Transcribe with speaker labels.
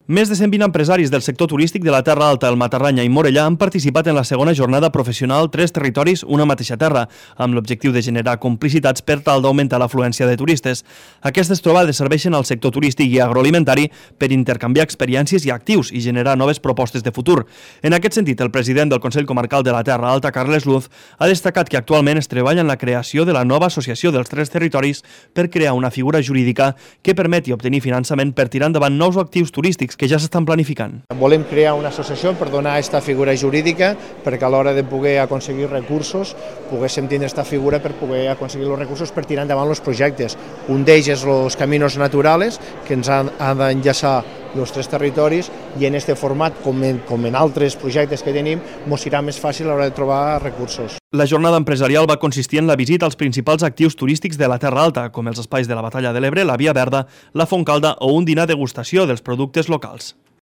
Speaker 1: Més de 120 empresaris del sector turístic de la Terra Alta, el Matarranya i Morellà han participat en la segona jornada professional Tres territoris, una mateixa terra, amb l'objectiu de generar complicitats per tal d'augmentar l'afluència de turistes. Aquestes trobades serveixen al sector turístic i agroalimentari per intercanviar experiències i actius i generar noves propostes de futur. En aquest sentit, el president del Consell Comarcal de la Terra Alta, Carles Luz, ha destacat que actualment es treballa en la creació de la nova associació dels Tres territoris per crear una figura jurídica que permeti obtenir finançament per tirar endavant nous actius turístics que ja s'estan planificant.
Speaker 2: Volem crear una associació per donar aquesta figura jurídica perquè a l'hora de poder aconseguir recursos poguéssim tenir aquesta figura per poder aconseguir els recursos per tirar endavant els projectes. Un d'ells és els caminos naturals que ens han d'enllaçar els tres territoris i en aquest format, com en altres projectes que tenim, ens serà més fàcil a l'hora de trobar recursos.
Speaker 1: La jornada empresarial va consistir en la visita als principals actius turístics de la Terra Alta, com els espais de la Batalla de l'Ebre, la Via Verda, la Fontcalda o un dinar degustació dels productes locals.